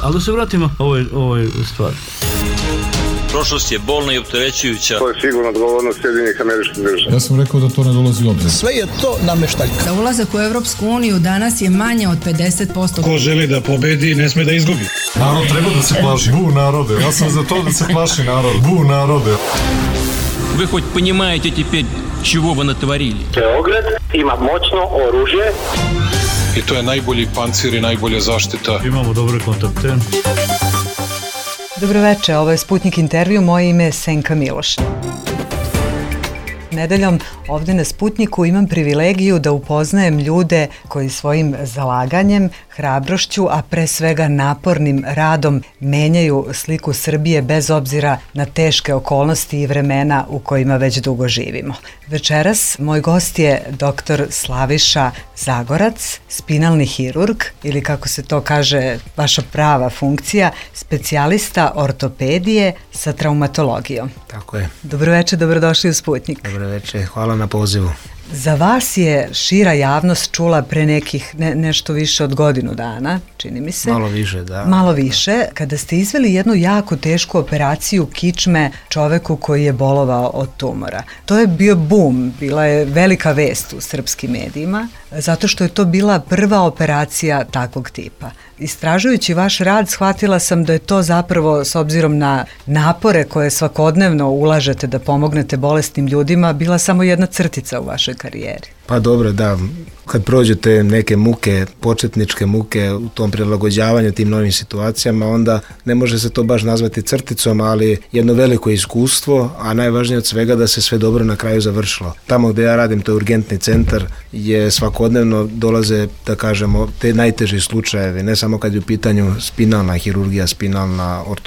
Ali da se vratimo ovoj stvari. Prošlost je bolna i opterećujuća. To je sigurno odgovornost Sjedinjenih Američkih Država. Ja sam rekao da to ne dolazi u obzir. Sve je to nameštaljka. Za ulazak u Evropsku uniju danas je manje od 50%. Ko želi da pobedi, ne sme da izgubi. Narod treba da se plaši. Bu narode. Ja sam za to da se plaši narod. Bu narode. Вы хоть понимаете теперь, чего вы натворили? Beograd ima moćno oružje. I to je najbolji pancir i najbolja zaštita. Imamo dobre kontakte. Dobroveče, ovo je Sputnik intervju, moje ime je Senka Miloš. Nedeljom ovde na Sputniku imam privilegiju da upoznajem ljude koji svojim zalaganjem, hrabrošću, a pre svega napornim radom menjaju sliku Srbije bez obzira na teške okolnosti i vremena u kojima već dugo živimo. Večeras moj gost je dr. Slaviša Zagorac, spinalni hirurg ili kako se to kaže vaša prava funkcija, specijalista ortopedije sa traumatologijom. Tako je. Dobroveče, dobrodošli u Sputnik. Dobroveče, hvala na pozivu. Za vas je šira javnost čula pre nekih nešto više od godinu dana, čini mi se. Malo više, da. Malo više, kada ste izveli jednu jako tešku operaciju kičme čoveku koji je bolovao od tumora. To je bio bum, bila je velika vest u srpskim medijima, zato što je to bila prva operacija takvog tipa. Istražujući vaš rad, shvatila sam da je to zapravo, s obzirom na napore koje svakodnevno ulažete da pomognete bolesnim ljudima, bila samo jedna crtica u vašoj karijeri. Pa dobro, da. Kad prođete neke muke, početničke muke u tom prilagođavanju tim novim situacijama, onda ne može se to baš nazvati crticom, ali jedno veliko iskustvo, a najvažnije od svega da se sve dobro na kraju završilo. Tamo gde ja radim, to je urgentni centar, je svakodnevno dolaze, da kažemo, te najteži slučajevi, ne samo kad je u pitanju spinalna hirurgija,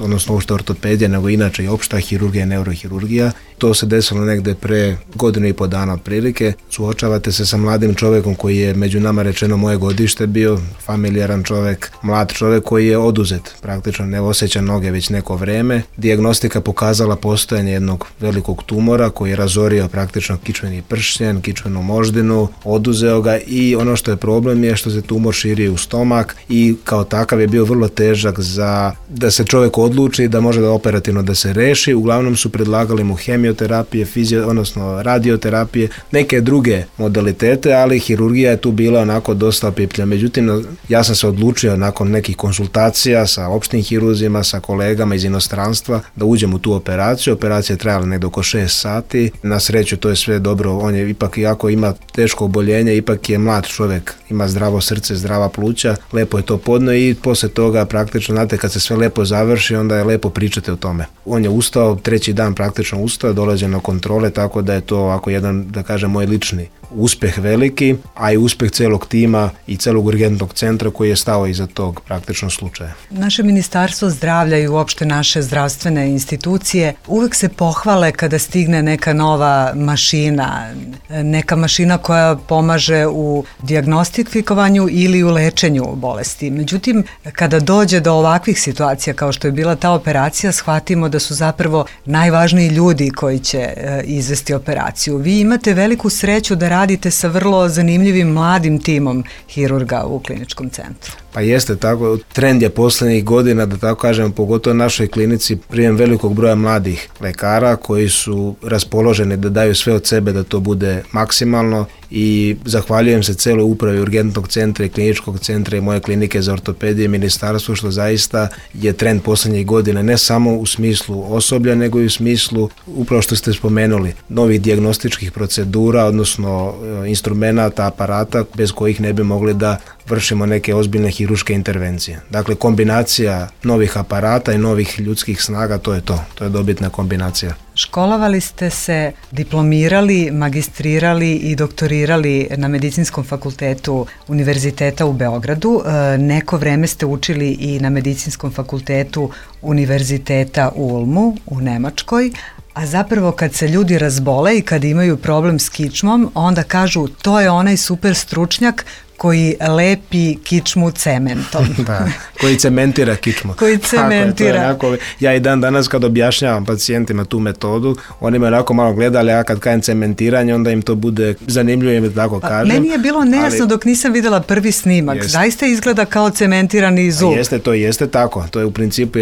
odnosno uopšte ortopedija, nego inače i opšta hirurgija i neurohirurgija. To se desilo negde pre godinu i po dana otprilike. Suočavate se sa mladim čovekom koji je među nama rečeno moje godište bio, familijaran čovek, mlad čovek koji je oduzet, praktično ne osjeća noge već neko vreme. Dijagnostika pokazala postojanje jednog velikog tumora koji je razorio praktično kičmeni pršljen, kičmenu moždinu, oduzeo ga i ono što je problem je što se tumor širi u stomak i kao takav je bio vrlo težak za da se čovek odluči da može da operativno da se reši. Uglavnom su predlagali mu hemioterapije, odnosno radioterapije, neke druge modalitete, ali hirurgija je tu bila onako dosta opiplja. Međutim, ja sam se odlučio nakon nekih konsultacija sa opštim hiruzima, sa kolegama iz inostranstva, da uđem u tu operaciju. Operacija je trajala negdje oko 6 sati. Na sreću to je sve dobro. On je ipak, iako ima teško oboljenje, ipak je mlad čovjek, ima zdravo srce, zdrava pluća, lepo je to podno i posle toga praktično, znate, kad se sve lepo završi, onda je lepo pričati o tome. On je ustao, treći dan praktično ustao, dolazi na kontrole, tako da je to ovako jedan, da kažem, moj lični uspeh veliki, a i uspeh celog tima i celog urgentnog centra koji je stao iza tog praktično slučaja. Naše Ministarstvo zdravlja i uopšte naše zdravstvene institucije uvek se pohvale kada stigne neka nova mašina, neka mašina koja pomaže u dijagnostikovanju ili u lečenju bolesti. Međutim, kada dođe do ovakvih situacija kao što je bila ta operacija, shvatimo da su zapravo najvažniji ljudi koji će izvesti operaciju. Vi imate veliku sreću da radite sa vrlo zanimljivim mladim timom hirurga u kliničkom centru. Pa jeste tako, trend je poslednjih godina, da tako kažem, pogotovo u našoj klinici, prijem velikog broja mladih lekara koji su raspoloženi da daju sve od sebe da to bude maksimalno i zahvaljujem se celoj upravi urgentnog centra i kliničkog centra i moje klinike za ortopediju i ministarstvo, što zaista je trend poslednjih godina, ne samo u smislu osoblja, nego i u smislu, upravo što ste spomenuli, novih dijagnostičkih procedura, odnosno instrumenata, aparata bez kojih ne bi mogli da vršimo neke ozbiljne hirurške intervencije. Dakle, kombinacija novih aparata i novih ljudskih snaga, to je to. To je dobitna kombinacija. Školovali ste se, diplomirali, magistrirali i doktorirali na Medicinskom fakultetu Univerziteta u Beogradu. Neko vreme ste učili i na Medicinskom fakultetu Univerziteta u Ulmu u Nemačkoj, a zapravo kad se ljudi razbole i kad imaju problem s kičmom, onda kažu to je onaj super stručnjak koji lepi kičmu cementom. Da, koji cementira kičmu. Koji cementira. Onako, ja i dan danas kad objašnjavam pacijentima tu metodu, oni me onako malo gledali, ja kad kažem cementiranje, onda im to bude zanimljivo, im tako kažem. Meni je bilo nejasno dok nisam videla prvi snimak. Zaista izgleda kao cementirani zub. Jeste tako. To je u principu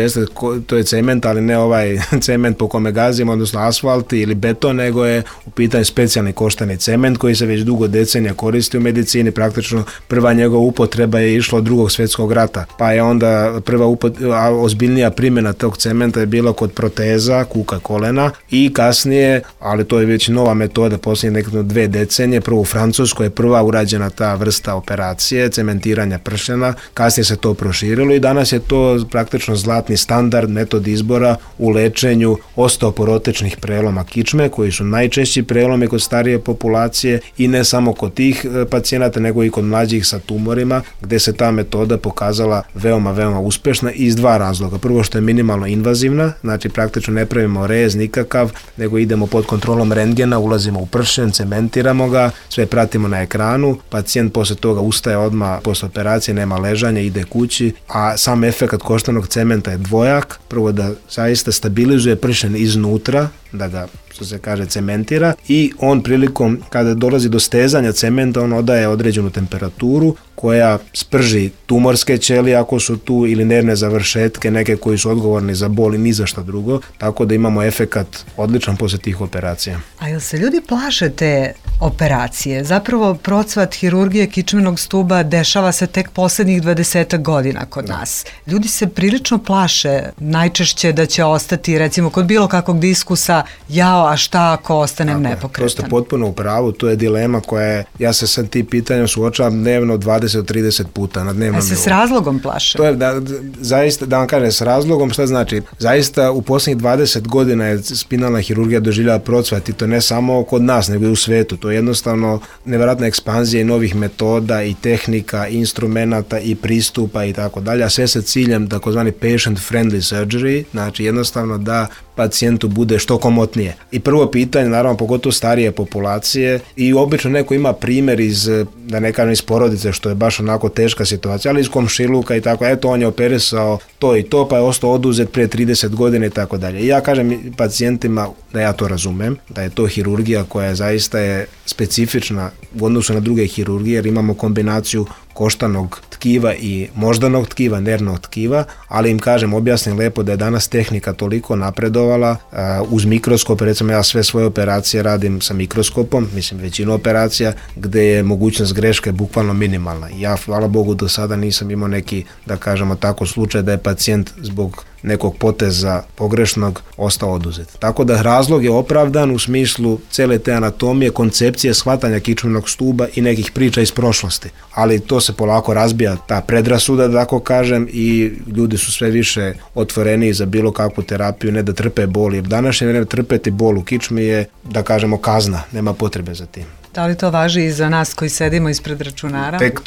to je cement, ali ne ovaj cement po kome gazimo, odnosno asfalt ili beton, nego je u pitanju specijalni koštani cement koji se već dugo decenija koristi u medicini. Praktično prva njegova upotreba je išla od Drugog svjetskog rata, pa je onda prva ozbiljnija primjena tog cementa je bila kod proteza, kuka, kolena i kasnije, ali to je već nova metoda, posljednje nekako 2 decenije, prvo u Francuskoj je prva urađena ta vrsta operacije, cementiranja pršena, kasnije se to proširilo i danas je to praktično zlatni standard, metod izbora u lečenju osteoporotečnih preloma kičme, koji su najčešći prelomi kod starije populacije i ne samo kod tih pacijenata, nego i kod mlađih sa tumorima, gde se ta metoda pokazala veoma, veoma uspešna iz 2 razloga. Prvo što je minimalno invazivna, znači praktično ne pravimo rez nikakav, nego idemo pod kontrolom rentgena, ulazimo u pršen, cementiramo ga, sve pratimo na ekranu, pacijent posle toga ustaje odmah posle operacije, nema ležanja, ide kući, a sam efekat koštanog cementa je dvojak, prvo da zaista stabilizuje pršen iznutra, da ga, što se kaže, cementira i on prilikom kada dolazi do stezanja cementa, on odaje određenu temperaturu koja sprži tumorske ćelije ako su tu ili nervne završetke, neke koji su odgovorni za bol i ni za šta drugo, tako da imamo efekat odličan posle tih operacija. A jel se ljudi plaše te operacije? Zapravo procvat hirurgije kičmenog stuba dešava se tek poslednjih 20 godina kod nas. Ljudi se prilično plaše najčešće da će ostati, recimo kod bilo kakvog diskusa, jao, a šta ako ostanem nepokretan? To ste potpuno u pravu, to je dilema koja je, ja se sad tim pitanjem suočavam dnevno 20-30 puta na dnevnom nivou. A se s razlogom plaše? To je zaista, da vam kažem, s razlogom, šta znači? Zaista u posljednjih 20 godina je spinalna hirurgija doživljava procvat i to ne samo kod nas, nego i u svetu. To je jednostavno nevjerojatna ekspanzija i novih metoda i tehnika, i instrumenata i pristupa i tako dalje, a sve sa ciljem takozvani patient friendly surgery, znači jednostavno da pacijentu bude što komotnije. I prvo pitanje, naravno, pogotovo starije populacije i obično neko ima primjer iz, da ne kažem iz porodice, što je baš onako teška situacija, ali iz komšiluka i tako, eto on je operisao to i to, pa je ostao oduzet prije 30 godina i tako dalje. I ja kažem pacijentima da ja to razumem, da je to hirurgija koja zaista je specifična u odnosu na druge hirurgije, jer imamo kombinaciju koštanog tkiva i moždanog tkiva, nervnog tkiva, ali im kažem, objasnim lepo da je danas tehnika toliko napredovala uz mikroskop, recimo ja sve svoje operacije radim sa mikroskopom, mislim većinu operacija, gde je mogućnost greške bukvalno minimalna. Ja, hvala Bogu, do sada nisam imao neki, da kažemo tako, slučaj da je pacijent zbog nekog poteza pogrešnog ostao oduzet. Tako da razlog je opravdan u smislu cele te anatomije, koncepcije shvatanja kičmenog stuba i nekih priča iz prošlosti. Ali to se polako razbija, ta predrasuda, da tako kažem, i ljudi su sve više otvoreniji za bilo kakvu terapiju, ne da trpe bol, jer današnje vreme trpeti bol u kičmi je, da kažemo, kazna, nema potrebe za tim. Da li to važi i za nas koji sedimo ispred računara? Tek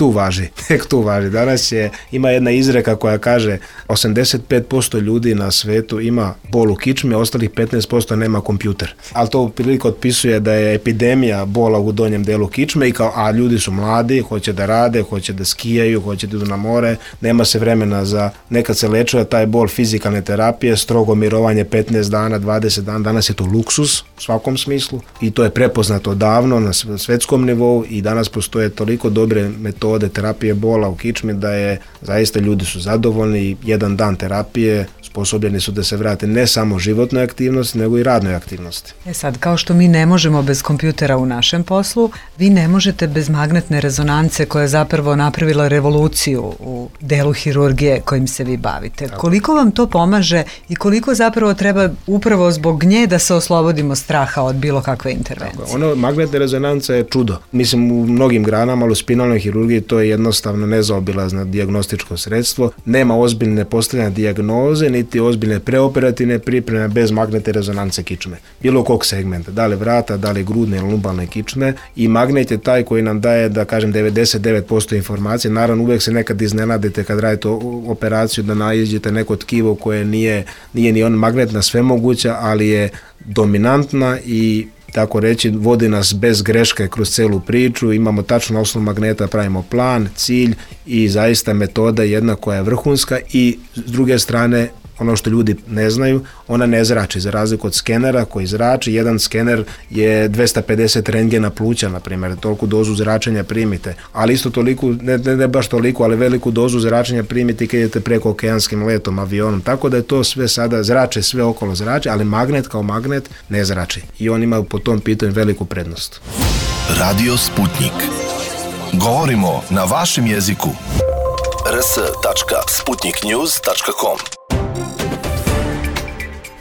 tu važi. Danas ima jedna izreka koja kaže 85% ljudi na svetu ima bol u kičmi, a ostalih 15% nema kompjuter. Ali to prilike otpisuje da je epidemija bola u donjem delu kičme, a ljudi su mladi, hoće da rade, hoće da skijaju, hoće da idu na more, nema se vremena za, nekad se lečuje taj bol fizikalne terapije, strogo mirovanje 15 dana, 20 dana, danas je to luksus u svakom smislu i to je prepoznato davno na svetskom nivou i danas postoje toliko dobre metode terapije bola u kičmi da je zaista ljudi su zadovoljni i jedan dan terapije sposobljeni su da se vrate ne samo životnoj aktivnosti, nego i radnoj aktivnosti. Sad, kao što mi ne možemo bez kompjutera u našem poslu, vi ne možete bez magnetne rezonance koja je zapravo napravila revoluciju u delu hirurgije kojim se vi bavite. Tako. Koliko vam to pomaže i koliko zapravo treba upravo zbog nje da se oslobodimo straha od bilo kakve intervencije? Magnetna rezonanca je čudo. Mislim, u mnogim granama, ali u spinalnoj hirurgiji to je jednostavno nezaobilazno dijagnostičko sredstvo. Nema ozbiljne postavljanja dijagnoze, niti ozbiljne preoperativne pripreme bez magnetne rezonance kičme. Bilo kog segmenta, da li vrata, da li grudne ili lumbalne kičme, i magnet je taj koji nam daje, da kažem, 99% informacije. Naravno, uvek se nekad iznenadite kad radite operaciju da naiđete neko tkivo koje nije ni on magnetna svemoguća, ali je dominantna i tako reći, vodi nas bez greške kroz celu priču, imamo tačno osnovu magneta, pravimo plan, cilj i zaista metoda jedna koja je vrhunska i s druge strane ono što ljudi ne znaju, ona ne zrači, za razliku od skenera koji zrači. Jedan skener je 250 rentgena pluća, na primjer, toliku dozu zračenja primite, ali isto toliko, ne baš toliko, ali veliku dozu zračenja primite kad idete preko okeanskim letom, avionom, tako da je to sve sada zrače, sve okolo zrače, ali magnet kao magnet ne zrači i on ima po tom pitanju veliku prednost. Radio Sputnik. Govorimo na vašem jeziku. rs.sputniknews.com.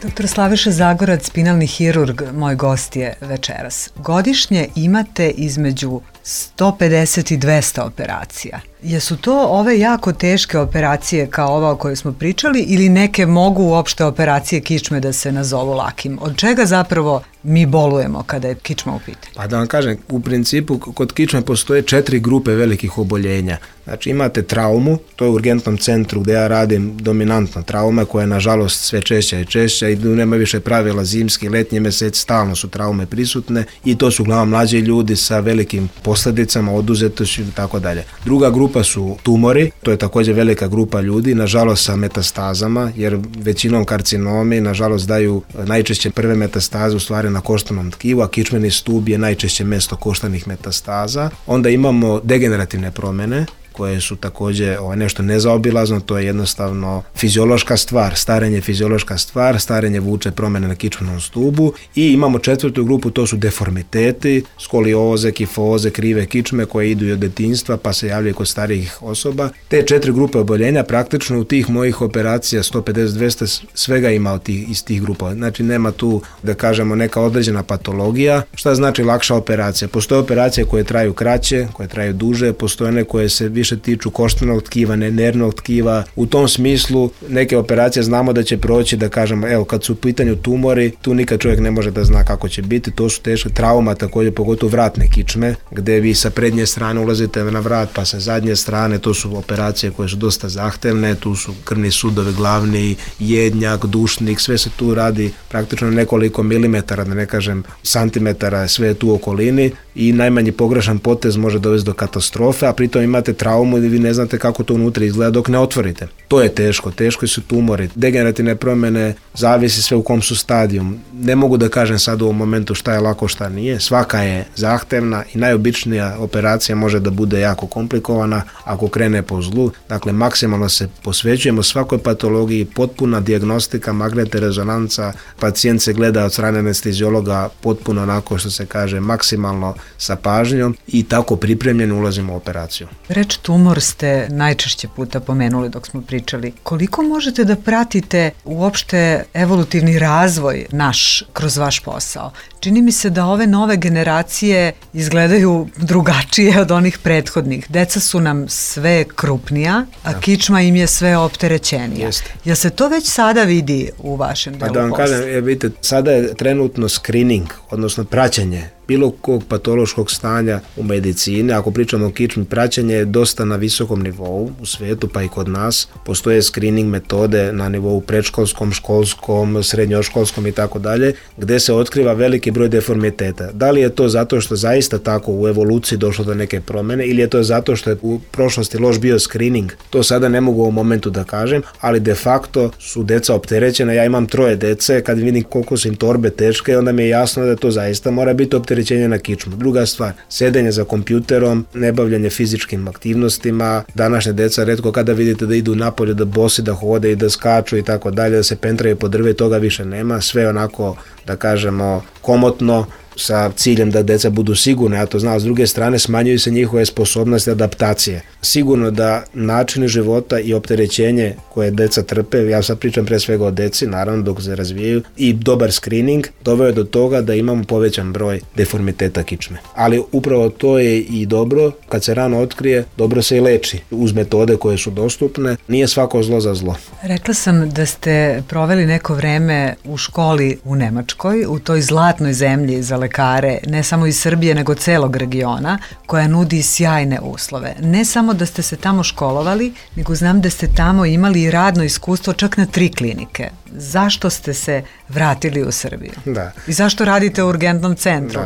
Dr. Slaviša Zagorac, spinalni hirurg, moj gost je večeras. Godišnje imate između 150 i 200 operacija. Jesu to ove jako teške operacije kao ova o kojoj smo pričali ili neke mogu uopšte operacije kičme da se nazovu lakim? Od čega zapravo mi bolujemo kada je kičma u pitanju? Pa da vam kažem, u principu kod kičme postoje 4 grupe velikih oboljenja. Znači imate traumu, to je u urgentnom centru gdje ja radim dominantna trauma koja je nažalost sve češća i češća i nema više pravila zimski, letnji mjeseci, stalno su traume prisutne i to su uglavnom mlađi ljudi sa velikim posljedicama, oduzetošću i tako dalje. Druga grupa su tumori, to je također velika grupa ljudi, nažalost sa metastazama, jer većinom karcinomi nažalost daju najčešće prve metastaze u stvari na koštanom tkivu, a kičmeni stub je najčešće mjesto koštanih metastaza. Onda imamo degenerativne promjene koje su također nešto nezaobilazno, to je jednostavno fiziološka stvar, starenje fiziološka stvar, starenje vuče promjene na kičmenom stubu i imamo 4. grupu, to su deformiteti, skolioze, kifoze, krive kičme koje idu od djetinjstva pa se javljaju kod starijih osoba. Te 4 grupe oboljenja praktično u tih mojih operacija 150-200 svega ima iz tih grupa. Znači nema tu da kažemo neka određena patologija. Šta znači lakša operacija? Postoje operacije koje traju kraće, koje traju duže, postoje one koje se više tiču koštanog tkiva, nervnog tkiva. U tom smislu neke operacije znamo da će proći, da kažemo, evo kad su u pitanju tumori, tu nikad čovjek ne može da zna kako će biti, to su teške trauma, također pogotovo vratne kičme, gdje vi sa prednje strane ulazite na vrat, pa sa zadnje strane, to su operacije koje su dosta zahtevne, tu su krvni sudovi glavni, jednjak, dušnik, sve se tu radi praktično nekoliko milimetara, da ne kažem santimetara, sve je tu u okolini i najmanji pogrešan potez može dovesti do katastrofe, a pritom imate traumu i vi ne znate kako to unutra izgleda dok ne otvorite. To je teško su tumori, degenerativne promjene, zavisi sve u kom su stadijum. Ne mogu da kažem sad u ovom momentu šta je lako, šta nije. Svaka je zahtevna i najobičnija operacija može da bude jako komplikovana ako krene po zlu. Dakle, maksimalno se posvećujemo svakoj patologiji, potpuna dijagnostika, magnetna rezonanca, pacijent se gleda od strane anesteziologa potpuno onako što se kaže maksimalno sa pažnjom i tako pripremljeni ulazimo u operaciju. Reč tumor ste najčešće puta pomenuli dok smo pričali. Koliko možete da pratite uopšte evolutivni razvoj naš kroz vaš posao? Čini mi se da ove nove generacije izgledaju drugačije od onih prethodnih. Deca su nam sve krupnija, a kičma im je sve opterećenija. Jel se to već sada vidi u vašem delu posla? Pa da vam kažem, vidite, sada je trenutno screening, odnosno praćenje bilo kog patološkog stanja u medicini. Ako pričamo o kičmi, praćenje je dosta na visokom nivou u svijetu, pa i kod nas. Postoje screening metode na nivou predškolskom, školskom, srednjoškolskom i tako dalje, gdje se otkriva veliki broj deformiteta. Da li je to zato što zaista tako u evoluciji došlo do neke promjene ili je to zato što je u prošlosti loš bio screening? To sada ne mogu u ovom momentu da kažem, ali de facto su deca opterećena. Ja imam 3 dece, kad vidim koliko su im torbe teške, onda mi je jasno da to zaista mora biti opterećenje na kičmu. Druga stvar, sedenje za kompjuterom, nebavljanje fizičkim aktivnostima. Današnje deca retko kada vidite da idu napolje, da bosi, da hode i da skaču i tako dalje, da se pentraju po drve, toga više nema. Sve onako, da kažemo, komotno, sa ciljem da deca budu sigurne, ja to znam, s druge strane smanjuju se njihove sposobnosti adaptacije. Sigurno da načini života i opterećenje koje deca trpe, ja sad pričam pre svega o deci, naravno dok se razvijaju, i dobar screening doveo do toga da imamo povećan broj deformiteta kičme. Ali upravo to je i dobro, kad se rano otkrije, dobro se i leči uz metode koje su dostupne, nije svako zlo za zlo. Rekla sam da ste proveli neko vreme u školi u Nemačkoj, u toj zlatnoj zemlji za lekare, ne samo iz Srbije, nego celog regiona, koja nudi sjajne uslove. Ne samo da ste se tamo školovali, nego znam da ste tamo imali i radno iskustvo čak na 3 klinike. Zašto ste se vratili u Srbiju? Da. I zašto radite u urgentnom centru?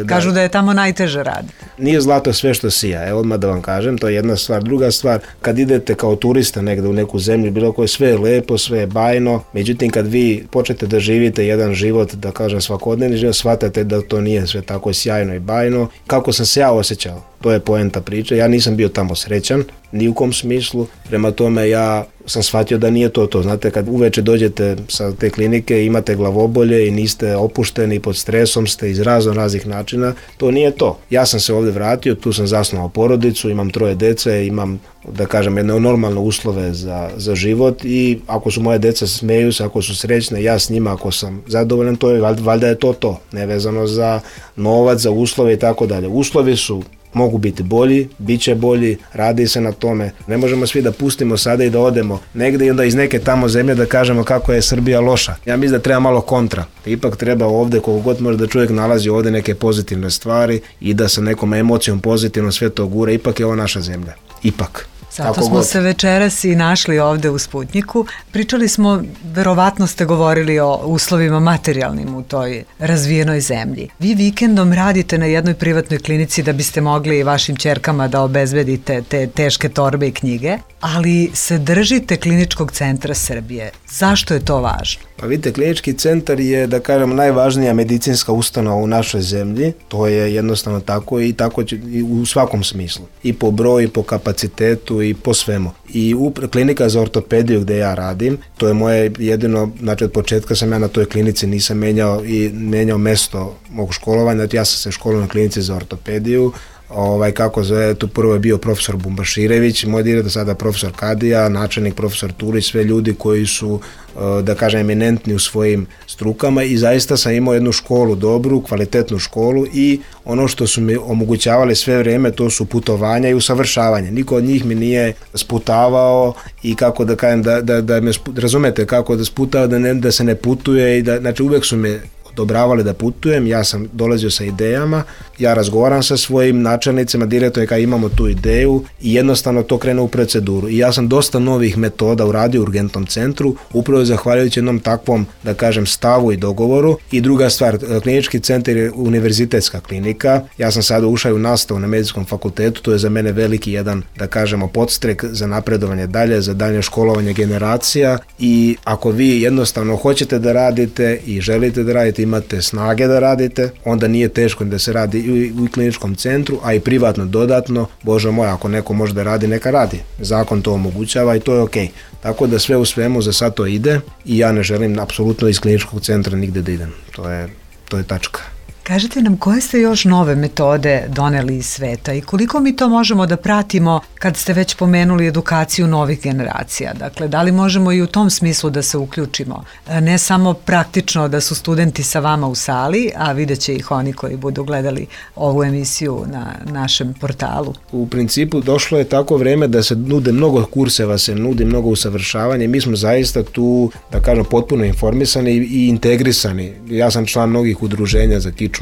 Kažu da je tamo najteže raditi. Nije zlato sve što sija, odmah da vam kažem, to je jedna stvar. Druga stvar, kad idete kao turista negde u neku zemlju, bilo koje, sve je lepo, sve je bajno, međutim kad vi počnete da živite jedan život, da kažem svakodnevni život, shvatate da to nije sve tako sjajno i bajno. Kako sam se ja osjećao, to je poenta priče. Ja nisam bio tamo srećan, ni u kom smislu, prema tome ja sam shvatio da nije to. Znate, kad uveče dođete sa te klinike, imate glavobolje i niste opušteni, pod stresom ste iz raznih načina, to nije to. Ja sam se ovdje vratio, tu sam zasnovao porodicu, imam 3 dece, imam, da kažem, jedne normalne uslove za život i ako su moje deca smeju se, ako su srećne, ja s njima, ako sam zadovoljan, to je, valjda je to, nevezano za novac, za uslove i tako dalje. Uslovi mogu biti bolji, bit će bolji, radi se na tome. Ne možemo svi da pustimo sada i da odemo negde i onda iz neke tamo zemlje da kažemo kako je Srbija loša. Ja mislim da treba malo kontra. Ipak treba ovde, koliko god može da čovjek nalazi ovde neke pozitivne stvari i da sa nekom emocijom pozitivno sve to gura. Ipak je ovo naša zemlja. Ipak. Zato smo se večeras i našli ovde u Sputnjiku. Pričali smo, verovatno ste govorili o uslovima materijalnim u toj razvijenoj zemlji. Vi vikendom radite na jednoj privatnoj klinici da biste mogli vašim ćerkama da obezbedite te teške torbe i knjige, ali se držite Kliničkog centra Srbije. Zašto je to važno? Pa vidite, Klinički centar je, da kažem, najvažnija medicinska ustanova u našoj zemlji. To je jednostavno tako i tako će u svakom smislu. I po broju, i po kapacitetu, i po svemu. I klinika za ortopediju gde ja radim, to je moje jedino, znači od početka sam ja na toj klinici, nisam menjao mesto mog školovanja, ja sam se školovao na klinici za ortopediju. Kako zove, tu prvo je bio profesor Bumbaširević, moj direktor, sada profesor Kadija, načelnik profesor Turić, sve ljudi koji su, da kažem, eminentni u svojim strukama i zaista sam imao jednu školu, dobru, kvalitetnu školu i ono što su mi omogućavali sve vrijeme, to su putovanja i usavršavanje. Niko od njih mi nije sputavao i kako da kažem, da me, razumete, kako da sputao da se ne putuje i da, znači uvek su me odobravali da putujem, ja sam dolazio sa idejama, ja razgovaram sa svojim načelnicima, direktorima kada imamo tu ideju i jednostavno to krene u proceduru. I ja sam dosta novih metoda uradio u urgentnom centru, upravo zahvaljujući jednom takvom, da kažem, stavu i dogovoru. I druga stvar, Klinički centar je univerzitetska klinika, ja sam sada ušao u nastavu na medicinskom fakultetu, to je za mene veliki jedan, da kažemo, podstrek za napredovanje dalje, za dalje školovanje generacija i ako vi jednostavno hoćete da radite i želite da radite, imate snage da radite, onda nije teško da se radi i u kliničkom centru, a i privatno dodatno. Bože moj, ako neko može da radi, neka radi. Zakon to omogućava i to je okej. Tako da sve u svemu za sad to ide i ja ne želim apsolutno iz kliničkog centra nigde da idem. To je tačka. Kažete nam koje ste još nove metode doneli iz sveta i koliko mi to možemo da pratimo kad ste već pomenuli edukaciju novih generacija? Dakle, da li možemo i u tom smislu da se uključimo? Ne samo praktično da su studenti sa vama u sali, a vidjet će ih oni koji budu gledali ovu emisiju na našem portalu. U principu došlo je tako vreme da se nude mnogo kurseva, se nudi mnogo usavršavanja i mi smo zaista tu, da kažem, potpuno informisani i integrisani. Ja sam član mnogih udruženja za kičmu,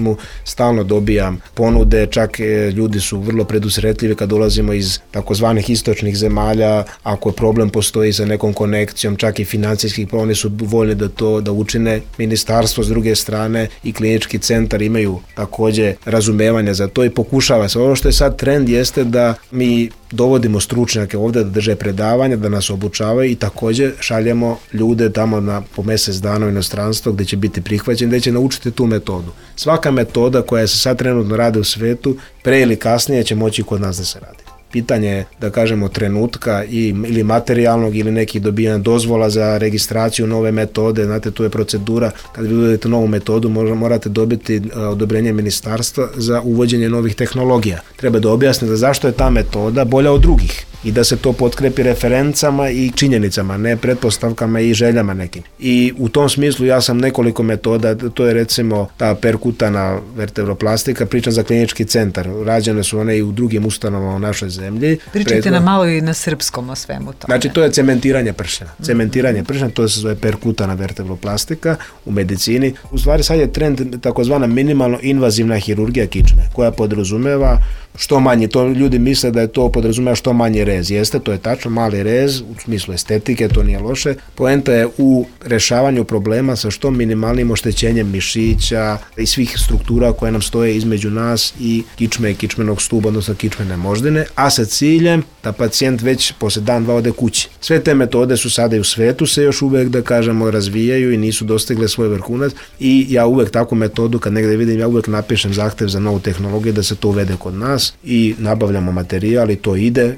stalno dobijam ponude, čak ljudi su vrlo predusretljivi kad dolazimo iz takozvanih istočnih zemalja, ako problem postoji sa nekom konekcijom, čak i financijskih, pa oni su voljni da učine. Ministarstvo s druge strane i Klinički centar imaju takođe razumevanja za to i pokušava se. Ono što je sad trend jeste da mi dovodimo stručnjake ovde da drže predavanja, da nas obučavaju i takođe šaljemo ljude tamo po mesec dana u inostranstvo gde će biti prihvaćeni, gde će naučiti tu metodu. Svaka metoda koja se sad trenutno radi u svetu, pre ili kasnije će moći kod nas da se radi. Pitanje je, da kažemo, trenutka ili materijalnog ili nekih dobijanja dozvola za registraciju nove metode. Znate, tu je procedura, kad vi uvedete novu metodu morate dobiti odobrenje ministarstva za uvođenje novih tehnologija. Treba da objasnite zašto je ta metoda bolja od drugih. i da se to potkrepi referencama i činjenicama, ne pretpostavkama i željama nekim. I u tom smislu ja sam nekoliko metoda, to je recimo ta perkutana vertebroplastika, pričam za klinički centar, rađene su one i u drugim ustanovama u našoj zemlji. Pričajte nam malo i na srpskom o svemu tome. Znači to je cementiranje pršena. Cementiranje pršena, to se zove perkutana vertebroplastika u medicini. U stvari sad je trend takozvana minimalno invazivna hirurgija kičme, koja podrazumeva što manje, to ljudi misle da je to podrazumeva što manje rez. Jeste, to je tačno, mali rez, u smislu estetike, to nije loše. Poenta je u rešavanju problema sa što minimalnim oštećenjem mišića i svih struktura koje nam stoje između nas i kičme i kičmenog stuba, odnosno kičmene moždine, a sa ciljem da pacijent već posle dan, dva ode kući. Sve te metode su sada i u svetu se još uvek, da kažemo, razvijaju i nisu dostigle svoj vrhunac i ja uvek takvu metodu kad negde vidim, ja uvek napišem zahtev za novu tehnologiju da se to uvede kod nas i nabavljamo materijal i to ide.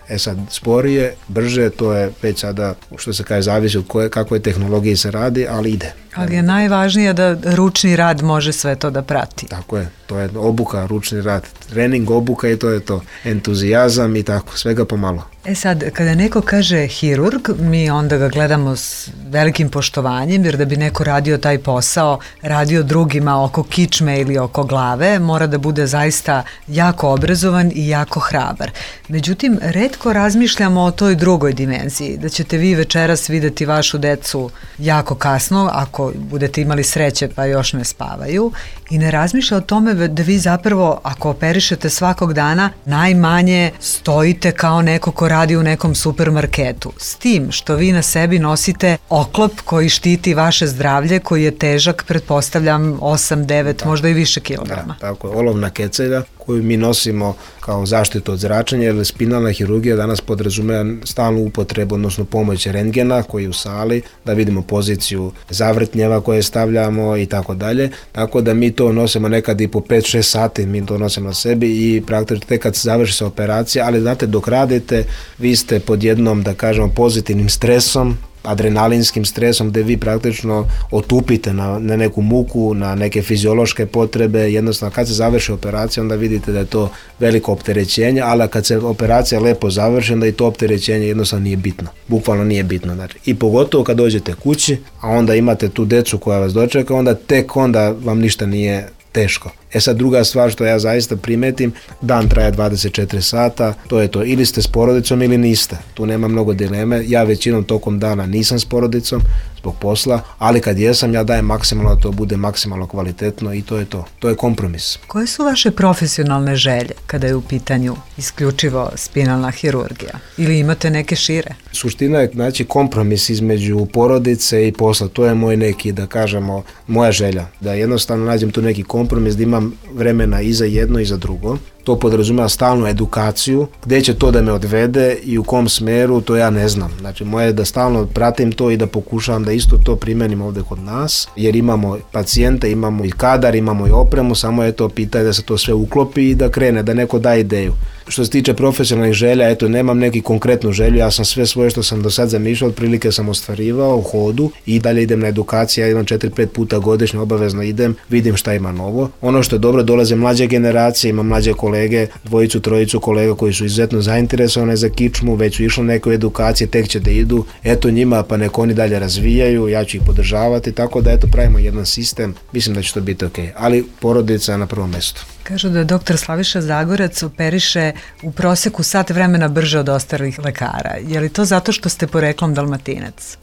E sad, sporije, brže, to je već sada, što se kaže, zavisi od kakvoj tehnologiji se radi, ali ide. Ali je najvažnije da ručni rad može sve to da prati. Tako je, to je obuka, ručni rad, trening, obuka i to je to. Entuzijazam i tako, svega pomalo. E sad, kada neko kaže hirurg, mi onda ga gledamo s velikim poštovanjem, jer da bi neko radio taj posao, radio drugima oko kičme ili oko glave, mora da bude zaista jako obrazovan i jako hrabar. Međutim, retko razmišljamo o toj drugoj dimenziji, da ćete vi večeras videti vašu decu jako kasno, ako budete imali sreće pa još ne spavaju, i ne razmišlja o tome da vi zapravo, ako operišete svakog dana, najmanje stojite kao neko ko radi u nekom supermarketu. S tim što vi na sebi nosite oklop koji štiti vaše zdravlje, koji je težak, pretpostavljam, 8, 9, možda i više kilograma. Da, tako je, olovna kecelja koju mi nosimo kao zaštitu od zračenja, jer spinalna hirurgija danas podrazumeva stalnu upotrebu, odnosno pomoć rentgena koji je u sali, da vidimo poziciju zavrtnjeva koje stavljamo i tako dalje. Tako da mi to nosimo nekad i po 5-6 sati, mi to nosimo na sebi i praktično tek kad se završi sa operacija, ali znate, dok radite, vi ste pod jednom, da kažemo, pozitivnim stresom, adrenalinskim stresom, gde vi praktično otupite na neku muku, na neke fiziološke potrebe. Jednostavno, kad se završi operacija, onda vidite da je to veliko opterećenje, ali kad se operacija lepo završi, onda i to opterećenje jednostavno nije bitno. Bukvalno nije bitno. Znači, i pogotovo kad dođete kući, a onda imate tu decu koja vas dočeka, onda tek onda vam ništa nije teško. E sad, druga stvar što ja zaista primetim, dan traje 24 sata, to je to, ili ste s porodicom ili niste, tu nema mnogo dileme. Ja većinom tokom dana nisam s porodicom zbog posla, ali kad jesam, ja dajem maksimalno da to bude maksimalno kvalitetno i to je to. To je kompromis. Koje su vaše profesionalne želje kada je u pitanju isključivo spinalna hirurgija? Ili imate neke šire? Suština je, znači, kompromis između porodice i posla. To je moj neki, da kažemo, moja želja. Da jednostavno nađem tu neki kompromis, da imam vremena i za jedno i za drugo. To podrazumeva stalnu edukaciju, gde će to da me odvede i u kom smeru, to ja ne znam. Znači, moje je da stalno pratim to i da pokušavam da isto to primenim ovde kod nas, jer imamo pacijente, imamo i kadar, imamo i opremu, samo je to pitanje da se to sve uklopi i da krene, da neko da ideju. Što se tiče profesionalnih želja, eto, nemam neki konkretnu želju, ja sam sve svoje što sam do sad zamišljao, otprilike sam ostvarivao u hodu i dalje idem na edukaciju, ja idem 4-5 puta godišnje, obavezno idem, vidim šta ima novo. Ono što je dobro, dolaze mlađe generacije, imam mlađe kolege, dvojicu, trojicu kolega koji su izuzetno zainteresovane za kičmu, već su išli neke edukacije, tek će da idu, eto njima, pa neko oni dalje razvijaju, ja ću ih podržavati, tako da eto pravimo jedan sistem, mislim da će to biti okej, ali porodica je na prvom mestu. Kažu da dr. Slaviša Zagorac operiše u proseku sat vremena brže od ostalih lekara. Je li to zato što ste poreklom Dalmatinac?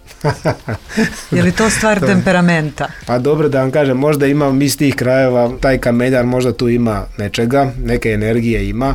Je li to stvar temperamenta? Pa dobro, da vam kažem, možda imam iz tih krajeva, taj kameljar možda tu ima nečega, neke energije ima,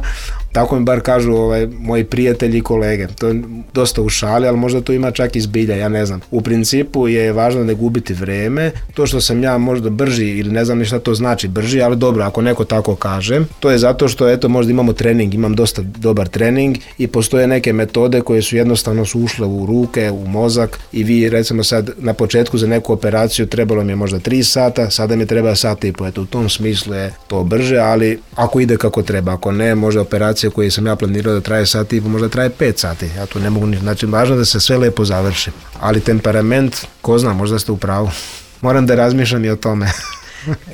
tako mi bar kažu moji prijatelji i kolege. To je dosta u šali, ali možda to ima čak i zbilja, ja ne znam. U principu je važno ne gubiti vreme. To što sam ja možda brži ili ne znam ni šta to znači brži, ali dobro, ako neko tako kaže, to je zato što eto možda imamo trening, imam dosta dobar trening i postoje neke metode koje su jednostavno su ušle u ruke, u mozak i vi recimo sad na početku za neku operaciju trebalo mi je možda 3 sata, sada mi treba 1,5 sata. Eto u tom smislu je to brže, ali ako ide kako treba, ako ne, možda operacija koje sam ja planirao da traje 1,5 sata, možda traje 5 sati. Ja tu ne mogu ništa. Znači, važno da se sve lepo završi. Ali temperament, ko zna, možda ste u pravu. Moram da razmišljam i o tome.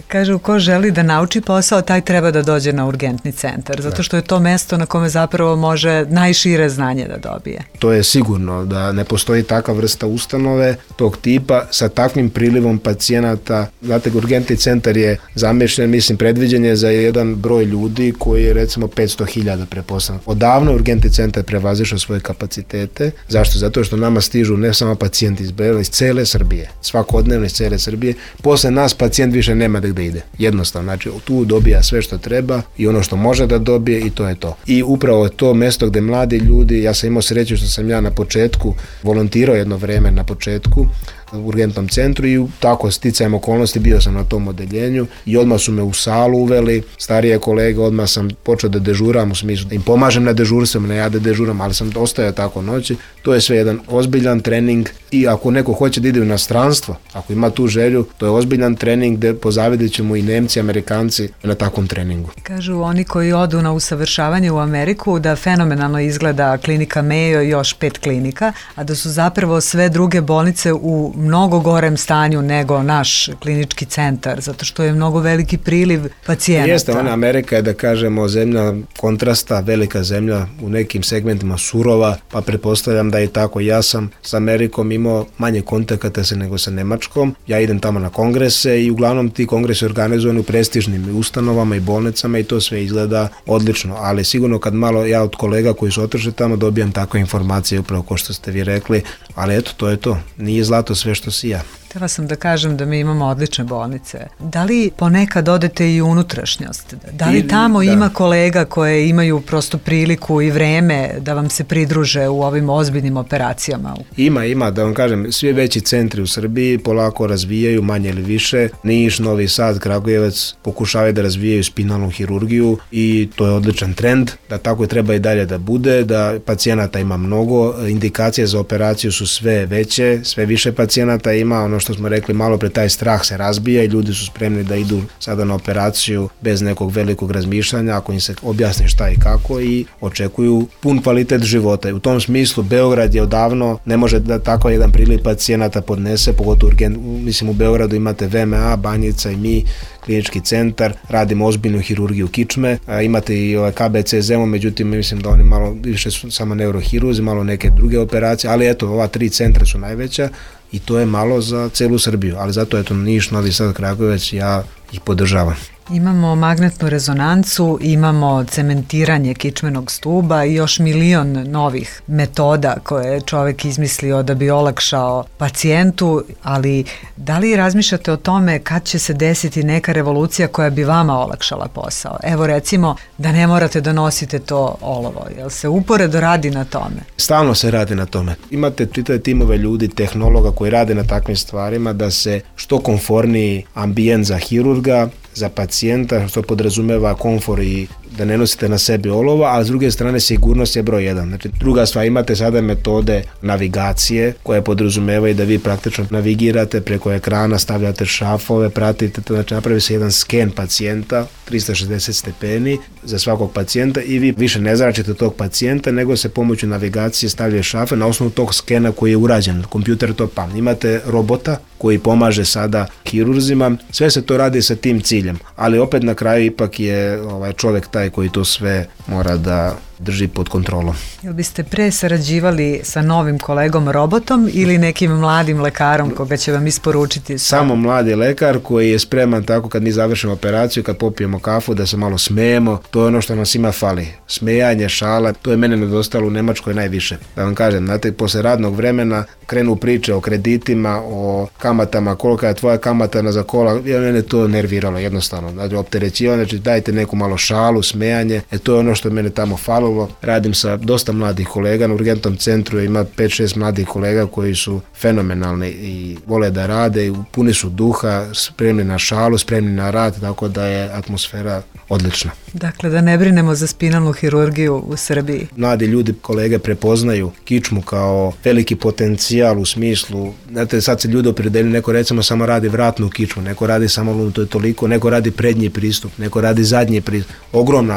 Kažu, ko želi da nauči posao, taj treba da dođe na urgentni centar, zato što je to mesto na kome zapravo može najšire znanje da dobije. To je sigurno da ne postoji takva vrsta ustanove tog tipa sa takvim prilivom pacijenata. Znate, urgentni centar je zamišljen, mislim, predviđen je za jedan broj ljudi koji je recimo 500.000 preposlan. Odavno urgentni centar prevazišao svoje kapacitete. Zašto? Zato što nama stižu ne samo pacijenti iz cele Srbije, svakodnevno iz cele Srbije. Posle nas pacijent više nema gde ide. Jednostavno, znači tu dobija sve što treba i ono što može da dobije i to je to. I upravo je to mesto gde mladi ljudi, ja sam imao sreću što sam ja na početku volontirao jedno vreme na početku u urgentnom centru i tako sticajem okolnosti bio sam na tom odeljenju i odmah su me u salu uveli, starije kolege, odmah sam počeo da dežuram, u smislu da im pomažem na dežurstvima, ne ja da dežuram, ali sam ostajao tako noći. To je sve jedan ozbiljan trening i ako neko hoće da ide u inostranstvo, ako ima tu želju, to je ozbiljan trening gde pozavidit ćemo i Nemci, Amerikanci na takvom treningu. Kažu oni koji odu na usavršavanje u Ameriku da fenomenalno izgleda klinika Mayo i još 5 klinika, a da su zapravo sve druge bolnice u mnogo gorem stanju nego naš klinički centar, zato što je mnogo veliki priliv pacijenata. Jeste, Amerika je, da kažemo, zemlja kontrasta, velika zemlja, u nekim segmentima surova, pa pretpostavljam da je tako. Ja sam s Amerikom imao manje kontakata nego sa Nemačkom. Ja idem tamo na kongrese i uglavnom ti kongresi organizovani u prestižnim ustanovama i bolnicama i to sve izgleda odlično, ali sigurno kad malo ja od kolega koji su otišli tamo dobijam takve informacije upravo kao što ste vi rekli, ali eto, to je to. Nije zlato sve što sija. Htela sam da kažem da mi imamo odlične bolnice. Da li ponekad odete i u unutrašnjost? Da li tamo ima kolega koje imaju prosto priliku i vreme da vam se pridruže u ovim ozbiljnim operacijama? Ima, da vam kažem, svi veći centri u Srbiji polako razvijaju, manje ili više. Niš, Novi Sad, Kragujevac pokušavaju da razvijaju spinalnu hirurgiju i to je odličan trend, da tako je treba i dalje da bude, da pacijenata ima mnogo, indikacije za operaciju su sve veće, sve više pacijenata ima, ono što smo rekli malo pre, taj strah se razbija i ljudi su spremni da idu sada na operaciju bez nekog velikog razmišljanja, ako im se objasni šta i kako, i očekuju pun kvalitet života. I u tom smislu Beograd je odavno, ne može da tako jedan priliv pacijenata podnese, pogotovo mislim u Beogradu imate VMA, Banjica i mi, klinički centar, radimo ozbiljnu hirurgiju kičme, imate i KBC Zemun, međutim mislim da oni malo više su samo neurohirurzi, malo neke druge operacije, ali eto, ova 3 centra su najveća i to je malo za celu Srbiju, ali zato eto Niš, Novi Sad, Kragujevac, ja ih podržavam. Imamo magnetnu rezonancu, imamo cementiranje kičmenog stuba i još milion novih metoda koje je čovek izmislio da bi olakšao pacijentu, ali da li razmišljate o tome kad će se desiti neka revolucija koja bi vama olakšala posao? Evo recimo da ne morate da nosite to olovo, jel se uporedo radi na tome? Stalno se radi na tome. Imate čitave timove ljudi, tehnologa koji rade na takvim stvarima da se što komforniji ambijent za hirurga, za pacijenta, što podrazumeva komfor i da ne nosite na sebi olova, a s druge strane sigurnost je broj 1. Znači, druga stvar, imate sada metode navigacije koje podrazumevaju da vi praktično navigirate preko ekrana, stavljate šrafove, pratite, znači napravi se jedan sken pacijenta, 360 stepeni za svakog pacijenta i vi više ne zračite tog pacijenta, nego se pomoću navigacije stavljaju šrafe na osnovu tog skena koji je urađen. Kompjuter to pamti. Imate robota koji pomaže sada hirurzima, sve se to radi sa tim ciljem, ali opet na kraju ipak je čovjek taj koji to sve mora da drži pod kontrolom. Jel biste pre sarađivali sa novim kolegom robotom ili nekim mladim lekarom koga će vam isporučiti? Samo mladi lekar koji je spreman tako kad mi završimo operaciju, kad popijemo kafu, da se malo smejemo, to je ono što nas ima fali. Smejanje, šala, to je mene nedostalo u Nemačkoj najviše. Da vam kažem, znate, posle radnog vremena krenu priče o kreditima, o kamatama, kolika je tvoja kamata za kola, mene to nerviralo jednostavno. Znači, opterećivanje, znači dajte neku malo šalu, smejanje, to je ono što mene tamo falilo. Radim sa dosta mladih kolega, na urgentnom centru ima 5-6 mladih kolega koji su fenomenalni i vole da rade i puni su duha, spremni na šalu, spremni na rad, tako da je atmosfera odlična. Dakle, da ne brinemo za spinalnu hirurgiju u Srbiji. Mladi ljudi, kolege, prepoznaju kičmu kao veliki potencijal u smislu, znate, sad se ljudi opredeljuju, neko recimo samo radi vratnu kičmu, neko radi samo to je toliko, neko radi prednji pristup, neko radi zadnji pristup.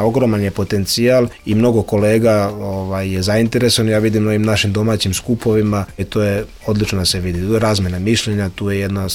Ogroman je potencijal i mnogo kolega je zainteresovan, ja vidim na ovim našim domaćim skupovima i to je odlično da se vidi. Tu je razmena mišljenja, tu je jedna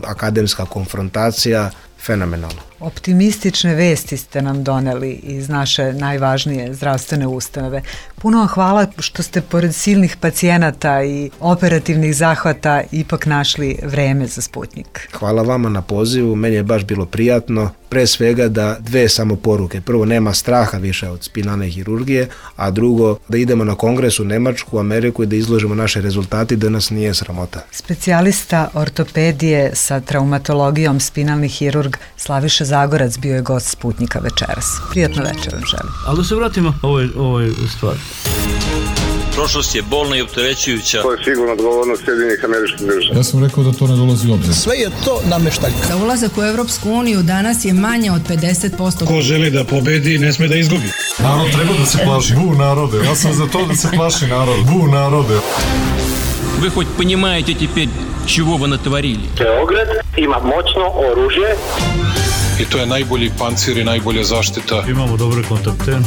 akademska konfrontacija fenomenalno. Optimistične vesti ste nam doneli iz naše najvažnije zdravstvene ustanove. Puno vam hvala što ste pored silnih pacijenata i operativnih zahvata ipak našli vreme za Sputnjik. Hvala vama na pozivu, meni je baš bilo prijatno, pre svega da dve samo poruke. Prvo, nema straha više od spinalne hirurgije, a drugo, da idemo na kongres u Nemačku, Ameriku i da izložimo naše rezultati, da nas nije sramota. Specijalista ortopedije sa traumatologijom spinalni hirurg Slaviša Zagorac bio je gost Sputnjika večeras. Prijatno večer vam želim. Ali da se vratimo ovoj stvari. Prošlost je bolna i opterećujuća. To je sigurno odgovornost Sjedinjenih Američkih Država. Ja sam rekao da to ne dolazi u obzir. Sve je to nameštaljka. Za ulazak u Europsku uniju danas je manje od 50%. Ko želi da pobedi, ne sme da izgubi. Narod treba da se plaši. Bu narode, ja sam za to da se plaši narod. Bu narode. Вы хоть понимаете теперь, чего вы натворили? Beograd ima moćno oružje. I to je najbolji pancir i najbolja zaštita. Imamo dobre kontakte.